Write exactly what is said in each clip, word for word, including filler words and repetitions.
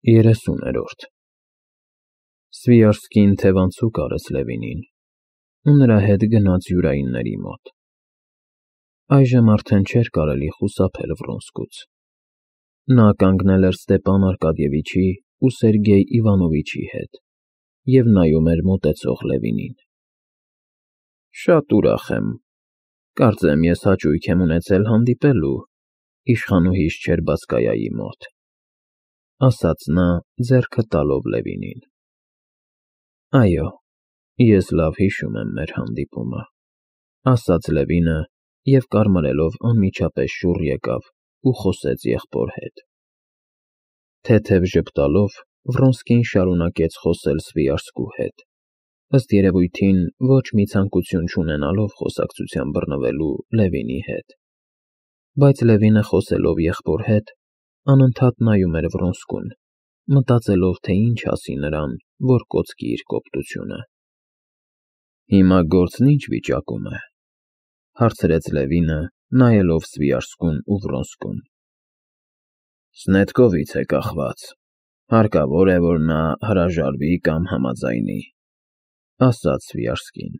Երեսուներորդ Սվիարսկին թևանցուկ արեց Լևինին ու նրա հետ գնաց յուրայինների մոտ. այժմ արդեն չէր կարելի խուսափել Վրոնսկուց. նա կանգնել էր Ստեպան Արկադիևիչի ու Սերգեյ Իվանովիչի հետ և նայում էր մոտեցող Լևինին։ Շատ ուրախ եմ, կարծեմ ես հաճույք եմ ունեցել հանդիպելու իշխանուհիս Չերբասկայայի մոտ, ասաց նա ձեռքը տալով Լևինին։ Այո, ես լավ հիշում եմ մեր հանդիպումը, ասաց Լևինը և կարմրելով անմիջապես շուռ եկավ ու խոսեց եղբոր հետ։ Թեթև ժպտալով Վրոնսկին շարունակեց խոսել Սվիարսկու հետ, ըստ երևույթին ոչ մի ցանկություն չունենալով խոսակցության բռնվելու Լևինի հետ, բայց Լևինը խոսելով եղբոր հետ անընդհատ նայում էր Վրոնսկուն, մտածելով, թե ինչ ասի նրան, որ կոծկի իր կոպտությունը։ Հիմա գործն ի՞նչ վիճակում է, հարցրեց Լևինը, նայելով Սվիարսկուն ու Վրոնսկուն։ Սնետկովից է կախված, հարկավոր է, որ նա հրաժարվի կամ համաձայնի, ասաց Սվիարսկին։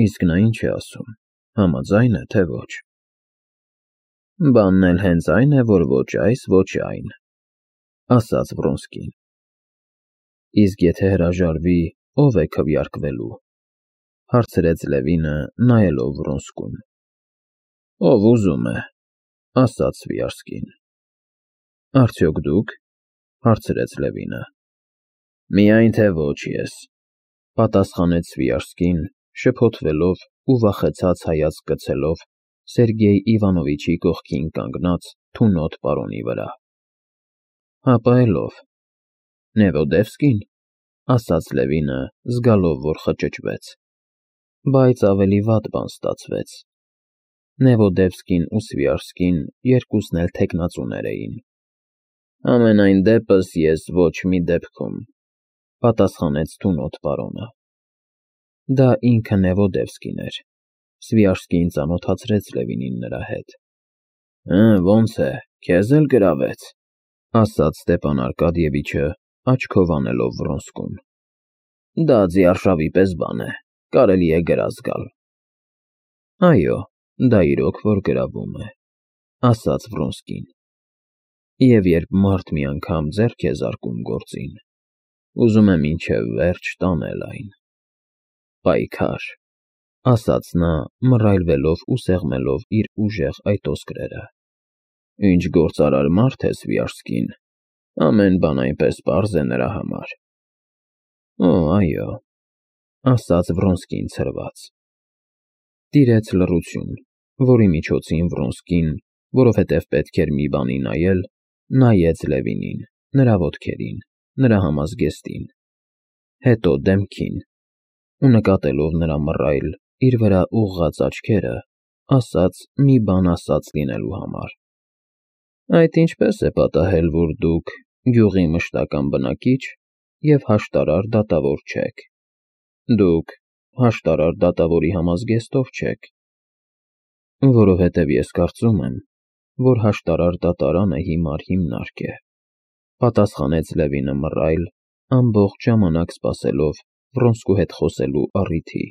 Իսկ նա ինչ է ասում, համաձայն է, թե ոչ։ Բանն էլ հենց այն է, որ ոչ այս, ոչ այն, ասաց Վրոնսկին։ Իսկ եթե հրաժարվի, ո՞վ է քվեարկվելու, հարցրեց Լևինը, նայելով Վրոնսկուն։ Ով ուզում է, ասաց Սվիարսկին։ Արդյոք դուք, հարցրեց Լևինը։ Միայն թե ոչ ես, պատասխանեց Սվիարսկին, շփոթվելով ու վախեցած հայացք գցելով Սերգեյ Իվանովիչի կողքին կանգնած թունոտ պարոնի վրա։ Հապա էլ ով։ Նևոդևսկի՞ն, ասաց Լևինը, զգալով, որ խճճվեց, բայց ավելի վատ բան ստացվեց։ Նևոդևսկին ու Սվիարսկին երկուսն էլ թեկնածուներ էին։ Համենայն դեպս ես ոչ մի դեպքում, պատասխանեց թունոտ պարոնը։ Դա ինքը Նևոդևսկին էր։ Սվիարսկին ծանոթացրեց Լևինին նրա հետ։ Հը, ոնց է, քեզ էլ գրավեց, ասաց Ստեպան Արկադիևիչը, աչքով անելով Վրոնսկուն։ Դա ձիարշավի պես բան է, կարելի է գրազ գալ։ Այո, դա իրոք որ գրավում է, ասաց Վրոնսկին։ Եվ երբ մարդ մի անգամ ձեռք է զարկում գործին, ուզում է մինչև վերջ տանել այն։ Պայքար, ասաց նա, մռայլվելով ու սեղմելով իր ուժեղ այտոսկրերը։ Ինչ գործարար մարդ է Սվիարսկին, ամեն բան այնպես պարզ է նրա համար։ Օ, այո, ասաց Վրոնսկին ցրված։ Տիրեց լռություն, որի միջոցին Վրոնսկին, որովհետև պետք էր մի բանի նայել, նայեց Լևինին, նրա ոտքերին, նրա համազգեստին, հետո դեմքին, ու նկատելով նրա մռայլ, իր վրա ուղղած աչքերը, ասաց մի բան ասած լինելու համար։ Այդ ինչպես է պատահել, որ դուք գյուղի մշտական բնակիչ և հաշտարար դատավոր չեք։ Դուք հաշտարար դատավորի համազգեստով չեք։ Որովհետև ես կարծում եմ, որ հաշտարար դատարանը հիմար հիմնարկ է, պատասխանեց Լևինը մռայլ, ամբողջ ժամանակ սպասելով Վրոնսկու հետ խոսելու առիթի,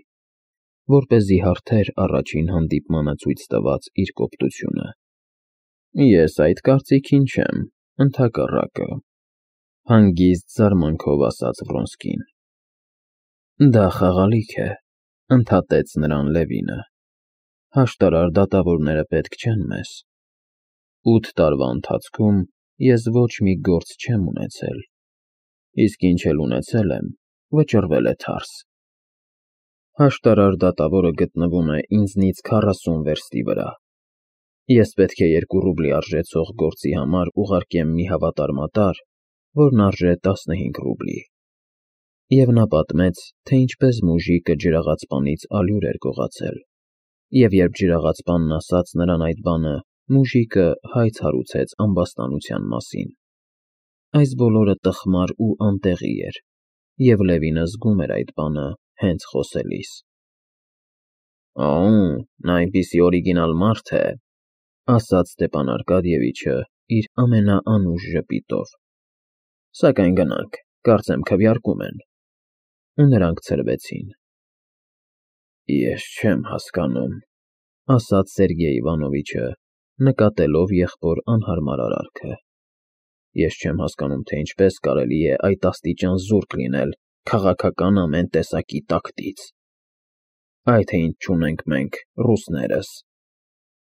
որպեսզի հարթեր առաջին հանդիպմանը ցույց տված իր կոպտությունը։ Ես այդ կարծիքին չեմ, ընդհակառակը, հանգիստ զարմանքով ասաց Վրոնսկին։ Դա խաղալիք է, ընդհատեց նրան Լևինը։ Հաշտարար դատավորները պետք չեն մեզ։ Ութ տարվա ընթացքում ես ոչ մի գործ չեմ ունեցել, իսկ ինչ էլ ունեցել եմ, վճռվել է թարս։ Հաշտարար դատավորը գտնվում է ինձնից քառասուն վերստի վրա։ Ես պետք է երկու ռուբլի արժեցող գործի համար ուղարկեմ մի հավատարմատար, որն արժե տասնհինգ ռուբլի։ Եվ նա պատմեց, թե ինչպես մուժիկը ջրաղացպանից ալյուր էր գողացել, և երբ ջրաղացպանն ասաց նրան այդ բանը, մուժիկը հայց հարուցեց ամբաստանության մասին։ Այս բոլորը տխմար ու անտեղի էր, և Լևինը զգում էր այդ բանը հենց խոսելիս։ Օ՜, նա այնպիսի օրիգինալ մարդ է, ասաց Ստեպան Արկադիևիչը իր ամենաանուշ ժպիտով։ Սակայն գնանք, կարծեմ քվեարկում են։ Ու նրանք ցրվեցին։ Ես չեմ հասկանում, ասաց Սերգեյ Իվանովիչը, նկատելով եղբոր անհարմար արարքը։ Ես չեմ հասկանում, թե ինչպես կարելի է այդ աստիճան զուրկ լինել քաղաքական ամեն տեսակի տակտից։ Այ թե ինչ չունենք մենք, ռուսներս։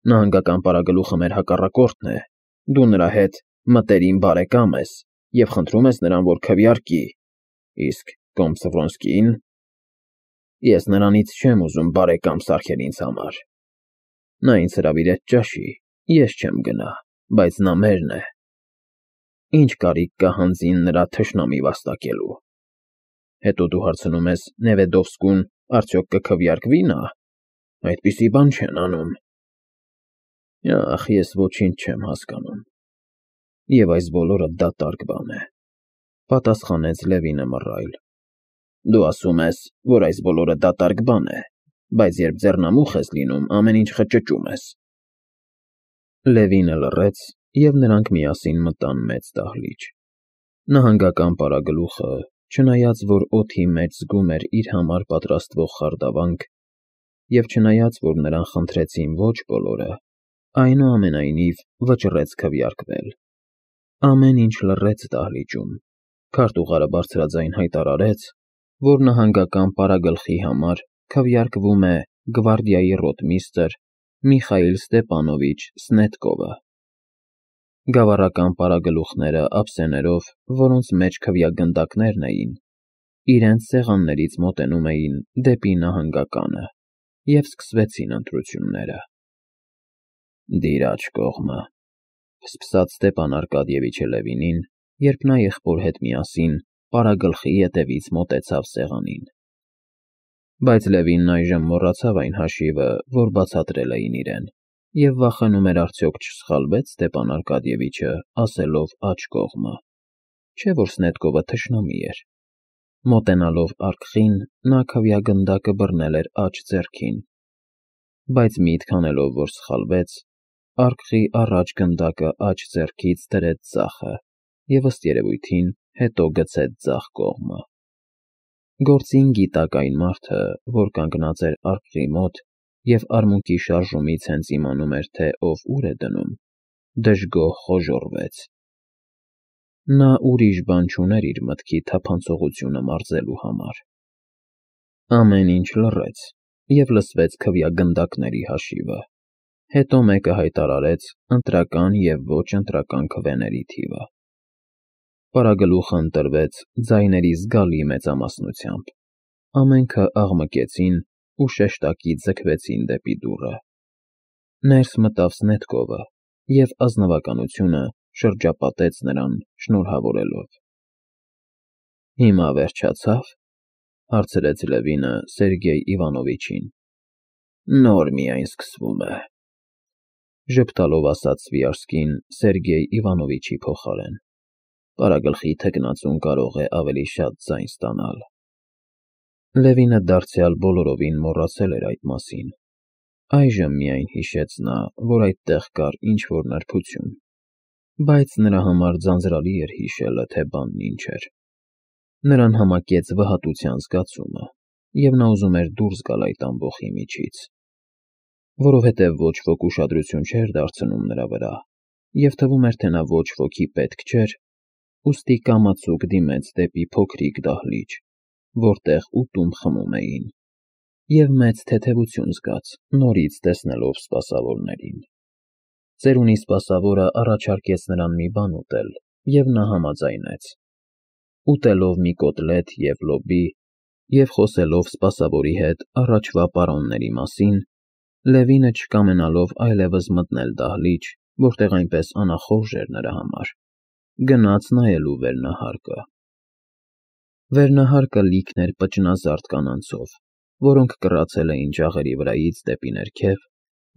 Նահանգական պարագլուխը մեր հակառակորդն է, դու նրա հետ մտերիմ բարեկամ ես և խնդրում ես նրան, որ քվեարկի, իսկ կոմս Վրոնսկին… Ես նրանից չեմ ուզում բարեկամ սարքել ինձ համար։ Նա ինձ հրավիրեց ճաշի, ես չեմ գնա, բայց նա մերն է։ Ինչ կարիք կա հանձին նրա թշնամի վաստակելու։ Հետո դու հարցնում ես Նևեդովսկուն արդյոք կքվեարկվի՞ նա։ Այդպիսի բան չեն անում։ Ախ, ես ոչինչ չեմ հասկանում։ Եվ այս բոլորը դատարկ բան է, պատասխանեց Լևինը մռայլ։ Դու ասում ես, որ այս բոլորը դատարկ բան է, բայց երբ ձեռնամուխ ես լինում, ամեն ինչ խճճում ես։ Լևինը լռեց, և նրանք միասին մտան մեծ դահլիճ։ Նահանգական պարագլուխը, չնայած որ օդի մեջ զգում էր իր համար պատրաստվող խարդավանք, և չնայած որ նրան խնդրեցին ոչ բոլորը, այնուամենայնիվ վճռեց քվեարկվել։ Ամեն ինչ լռեց դահլիճում։ Քարտուղարը բարձրաձայն հայտարարեց, որ նահանգական պարագլխի համար քվեարկվում է գվարդիայի ռոտմիստրը Միխայիլ Ստեպանովիչ Սնետկովը։ Գավառական պարագլուխները ափսեներով, որոնց մեջ քվեագնդակներն էին, իրենց սեղաններից մոտենում էին դեպի նահանգականը, և սկսվեցին ընտրությունները։ Դիր աջ կողմը, ֆսֆսաց Ստեպան Արկադիևիչը Լևինին, երբ նա եղբոր հետ միասին պարագլխի ետևից մոտեցավ սեղանին։ Բայց Լևինն այժմ մոռացավ այն հաշիվը, որ բացատրել էին իրեն, և վախենում էր արդյոք չսխալվե՞ց Ստեպան Արկադիևիչը, ասելով աջ կողմը, չէ՞ որ Սնետկովը թշնամի էր։ Մոտենալով արկղին, նա քվեագնդակը բռնել էր աջ ձեռքին, բայց միտք անելով, որ սխալվեց, արկղի առաջ գնդակը աջ ձեռքից դրեց ձախը և, ըստ երևույթին, հետո գցեց ձախ կողմը։ Գործին գիտակ այն մարդը, որ կանգնած էր արկղի մոտ և արմունկի շարժումից հենց իմանում էր, թե ով ուր է դնում, դժգոհ խոժոռվեց։ Նա ուրիշ բան չուներ իր մտքի թափանցողությունը մարզելու համար։ Ամեն ինչ լռեց, և լսվեց քվեագնդակների հաշիվը։ Հետո մեկը հայտարարեց ընտրական և ոչ ընտրական քվեների թիվը։ Պարագլուխը ընտրվեց ձայների զգալի մեծամասնությամբ։ Ամենքը աղմկեցին ու շեշտակի ձգվեցին դեպի դուռը։ Ներս մտավ Սնետկովը և ազնվականությունը շրջապատեց նրան շնորհավորելով։ Հիմա վերջացա՞վ, հարցրեց Լևինը Սերգեյ Իվանովիչին։ Նոր միայն սկսվում է, ժպտալով ասաց Սվիարսկին Սերգեյ Իվանովիչի փոխարեն։ Պարագլխի թեկնածուն կարող է ավելի շատ ձայն ստանալ։ Լևինը դարձյալ բոլորովին մոռացել էր այդ մասին։ Այժմ միայն հիշեց նա, որ այդտեղ կար ինչ-որ նրբություն, բայց նրա համար ձանձրալի էր հիշելը, թե բանն ինչ էր։ Նրան համակեց վհատության զգացումը, և նա ուզում էր դուրս գալ այդ ամբոխի միջից։ Որովհետև ոչ ոք ուշադրություն չէր դարձնում նրա վրա, և թվում էր, թե նա ոչ ոքի պետք չէր, ուստի կամացուկ դիմեց դեպի փոքրիկ դահլիճ, որտեղ ուտում խմում էին, և մեծ թեթևություն զգաց, նորից տեսնելով սպասավորներին։ Ծերունի սպասավորը առաջարկեց նրան մի բան ուտել, և նա համաձայնեց։ Ուտելով մի կոտլետ և լոբի և խոսելով սպասավորի հետ առաջվա պարոնների մասին, Լևինը չկամենալով այլևս մտնել դահլիճ, որտեղ այնպես անախորժ էր նրա համար, գնաց նայելու վերնահարկը։ Վերնահարկը լիքն էր պճնազարդ կանանցով, որոնք կռացել էին ջաղերի վրայից դեպի ներքև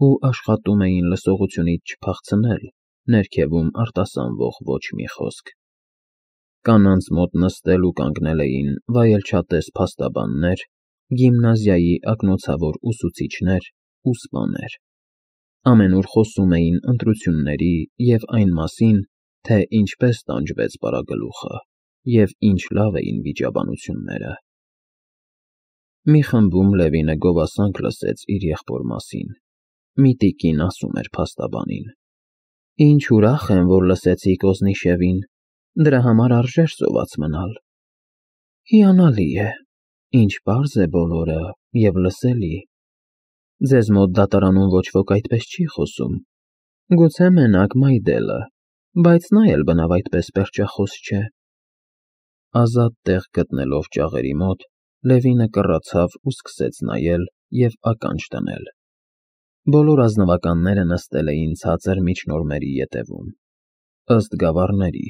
ու աշխատում էին լսողությունից չփախցնել ներքևում արտասանվող ոչ մի խոսք։ Կանանց մոտ նստել ու կանգնել էին վայելչատես փաստաբաններ, գիմնազիայի ակնոցավոր ուսուցիչներ ու սպաներ։ Ամենուր խոսում էին ընտրությունների և այն մասին, թե ինչպես տանջվեց պարագլուխը։ և ինչ լավ էին վիճաբանությունները։ Մի խմբում Լևինը գովասանք լսեց իր եղբոր մասին։ Մի տիկին ասում էր փաստաբանին. «Ինչ ուրախ եմ, որ լսեցիք Օզնիշևին, դրա համար արժեր սոված մնալ»։ Հիանալի է, ինչ պարզ է բոլորը և լսելի։ Ձեզ մոտ դատարանում ոչ ոք այդպես չի խոսում, գուցե մենակ Մայդելը, բայց նա էլ բնավ այդպես պերճախոս չէ։ Ազատ տեղ գտնելով ճաղերի մոտ, Լևինը կռացավ ու սկսեց նայել և ականջ դնել։ Բոլոր ազնվականները նստել էին ցածր միջնորմերի ետևում, ըստ գավառների։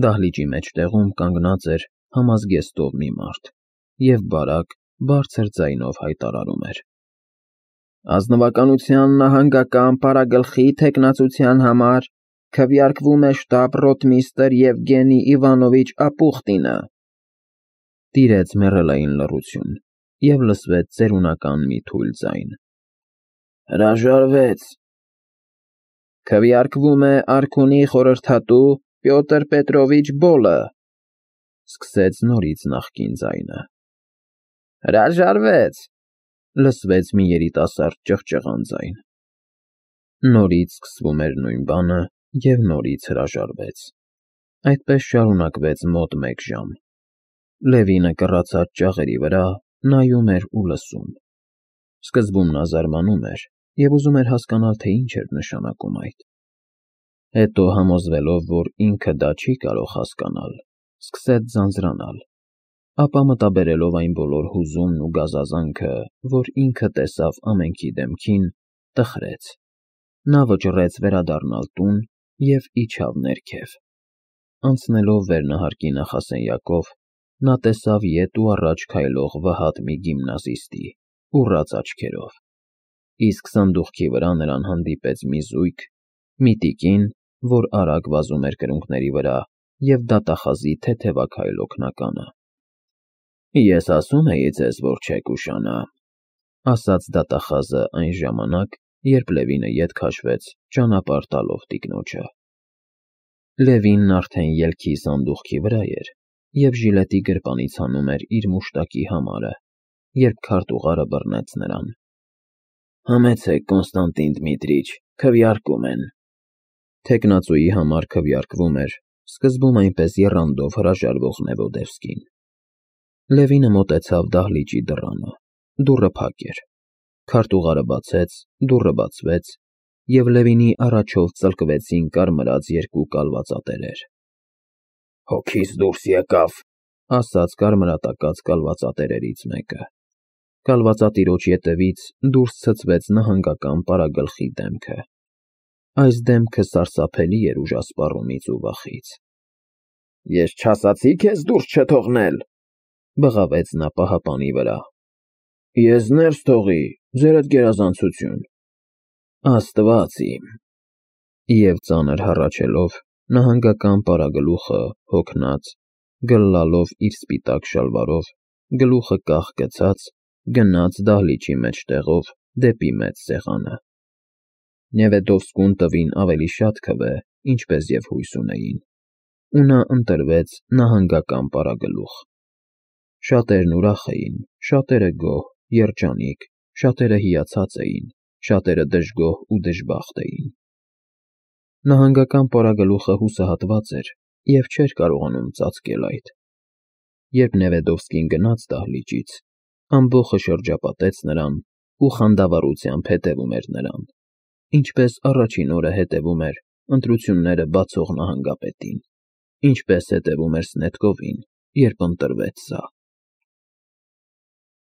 Դահլիճի մեջտեղում կանգնած էր համազգեստով մի մարդ և բարակ, բարձր ձայնով հայտարարում էր. «Ազնվականության նահանգական պարագլխի թեկնածության համար քվեարկվում է շտաբ֊ռոթմիստրը Եվգենի Իվանովիչ Ապուխտինը»։ Տիրեց մեռելային լռություն, և լսվեց ծերունական մի թույլ ձայն. «Հրաժարվեց»։ «Քվեարկվում է արքունի խորհրդատու Պյոտր Պետրովիչ Բոլը», սկսեց նորից նախկին ձայնը։ «Հրաժարվեց», լսվեց մի երիտասարդ ճղճղան ձայն։ Նորից սկսվում էր նույն բանը և նորից հրաժարվեց։ Այդպես շարունակվեց մոտ մեկ ժամ։ Լևինը կռացած ճաղերի վրա նայում էր ու լսում։ Սկզբում նա զարմանում էր և ուզում էր հասկանալ, թե ինչ էր նշանակում այդ։ Հետո, համոզվելով, որ ինքը դա չի կարող հասկանալ, սկսեց ձանձրանալ, ապա մտաբերելով այն բոլոր հուզումն ու գազազանքը, որ ինքը տեսավ ամենքի դեմքին, տխրեց։ Նա վճռեց վերադառնալ տուն և իջավ ներքև։ Անցնելով վերնահարկի նախասենյակով, նա տեսավ ետ ու առաջ քայլող վհատ մի գիմնազիստի՝ ուռած աչքերով, իսկ սանդուղքի վրա նրան հանդիպեց մի զույգ, մի տիկին, որ արագ վազում էր կրունկների վրա, և դատախազի թեթևաքայլ օգնականը։ «Ես ասում էի ձեզ, որ չեք ուշանա», ասաց դատախազը այն ժամանակ, երբ Լևինը ետ քաշվեց, ճանապարհ տալով տիկնոջը։ Լևինն արդեն ելքի սանդուղքի վրա էր և ժիլետի գրպանից հանում էր իր մուշտակի համարը, երբ քարտուղարը բռնեց նրան։ «Համեցեք, Կոնստանտին Դմիտրիչ, քվեարկում են»։ Թեկնածուի համար քվեարկվում էր, սկզբում այնպես եռանդով հրաժարվող Նևոդևսկին։ Լևինը մոտեցավ դահլիճի դռանը։ Դուռը փակ էր։ Քարտուղարը բացեց, դուռը բացվեց, և Լևինի առաջով ծլկվեցին կարմրած երկու կալվածատերեր։ «Հոգիս դուրս եկավ», ասաց կարմրատակած կալվածատերերից մեկը։ Կալվածատիրոջ ետևից դուրս ցցվեց նահանգական պարագլխի դեմքը։ Այս դեմքը սարսափելի էր ուժասպառումից ու վախից։ «Ես չասացի՞ քեզ դուրս չթողնել», բղավեց նա պահապանի վրա։ «Ես ներս թողի, ձերդ գերազանցություն»։ «Աստված իմ»։ Եվ ծանր հառաչելով, նահանգական պարագլուխը, հոգնած, գլլալով իր սպիտակ շալվարով, գլուխը կախ գցած, գնաց դահլիճի մեջտեղով դեպի մեծ սեղանը։ Նևեդովսկուն տվին ավելի շատ քվե, ինչպես և հույս ունեին, ու նա ընտրվեց նահանգական պարագլուխ։ Շատերն ուրախ էին, շատերը գոհ, երջանիկ, շատերը հիացած էին, շատերը դժգոհ ու դժբախտ էին։ Նահանգական պարագլուխը հուսահատված էր և չէր կարողանում ծածկել այդ։ Երբ Նևեդովսկին գնաց դահլիճից, ամբոխը շրջապատեց նրան ու խանդավառությամբ հետևում էր նրան, ինչպես առաջին օրը հետևում էր ընտրությունները բացող նահանգապետին, ինչպես հետևում էր Սնետկովին, երբ ընտրվեց սա։